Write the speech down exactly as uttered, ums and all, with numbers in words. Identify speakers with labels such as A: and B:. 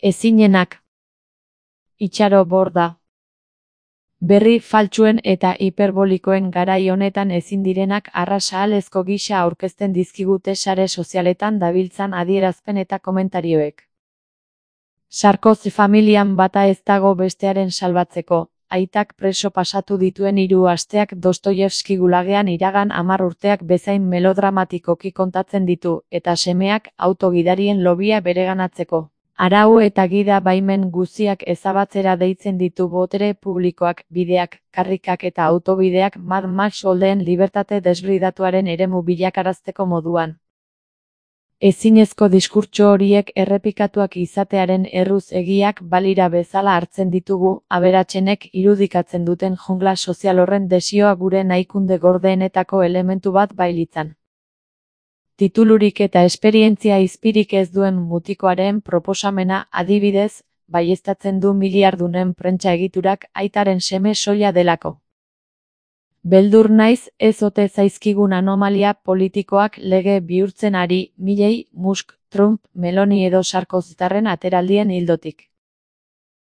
A: Ezinenak. Itxaro borda. Berri faltsuen eta hiperbolikoen garai honetan ezin direnak arrasahalezko gisa aurkezten dizkigute sare sozialetan dabiltzan adierazpen eta komentarioek. Sarkozy familian bata ez dago bestearen salbatzeko. Aitak preso pasatu dituen hiru asteak Dostoievski gulagean iragan hamar urteak bezain melodramatikoki kontatzen ditu, eta semeak autogidarien lobia bereganatzeko arau eta gida baimen guztiak ezabatzera deitzen ditu botere publikoak, bideak, karrikak eta autobideak Mad Max oldeen libertate desbridatuaren eremu bilakarazteko moduan. Ezinezko diskurtso horiek errepikatuak izatearen erruz egiak balira bezala hartzen ditugu, aberatsenek irudikatzen duten jungla sozial horren desioa gure nahikunde gordeenetako elementu bat bailitzan. Titulurik eta esperientzia izpirik ez duen mutikoaren proposamena, adibidez, baieztatzen du miliardunen prentsa egiturak aitaren seme soila delako. Beldur naiz ez ote zaizkigun anomalia politikoak lege bihurtzen ari, milei, Musk, Trump, Meloni edo Sarkozytarren ateraldien ildotik.